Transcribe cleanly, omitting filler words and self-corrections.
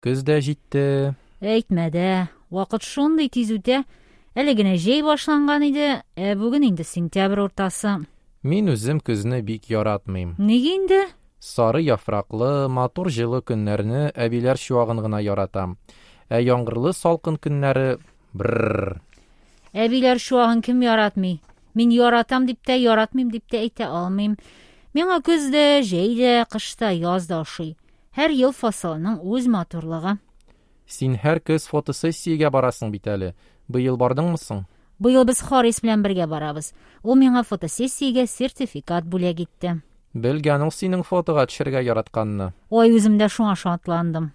Көз дә җитте. Әйтмә дә, вакыт шундый тиз үтә. Әле генә җәй башланган иде, ә бүген инде сентябрь уртасы. Мин үзем көзне бик яратмыйм. Ник инде? Сары яфраклы, матур җылы көннәрне әбиләр чуагын гына яратам. Ә яңгырлы салкын көннәре брррр. Әбиләр чуагын кем яратмый? Мин яратам дип тә, яратмыйм дип тә әйтә алмыйм. Миңа көз дә, җәй дә, кыш та, яз да ошый. Һәр ел фасылының үз матурлыгы. Син һәр көз фотосессиягә барасың бит әле. Быел бардыңмы соң? Быел без Харис белән бергә барабыз. Ул миңа фотосессиягә сертификат бүләк итте. Белгән ул синең фотога төшәргә яратканны. Ой, үзем дә шуңа шатландым.